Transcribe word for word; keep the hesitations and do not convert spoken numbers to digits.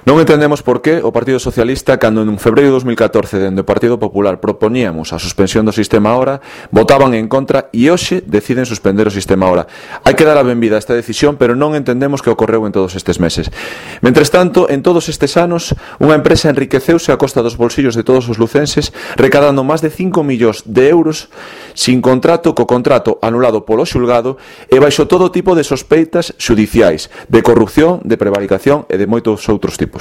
Non entendemos por que o Partido Socialista, cando en febreiro de dos mil catorce dende o Partido Popular proponíamos a suspensión do sistema Hora, votaban en contra e hoxe deciden suspender o sistema Hora. Hai que dar a benvida a esta decisión, pero non entendemos que ocorreu en todos estes meses. Mentres tanto, en todos estes anos, unha empresa enriqueceuse a costa dos bolsillos de todos os lucenses, recadando máis de cinco millóns de euros sin contrato, co contrato anulado polo xulgado e baixo todo tipo de sospeitas xudiciais, de corrupción, de prevaricación e de moitos outros tipos.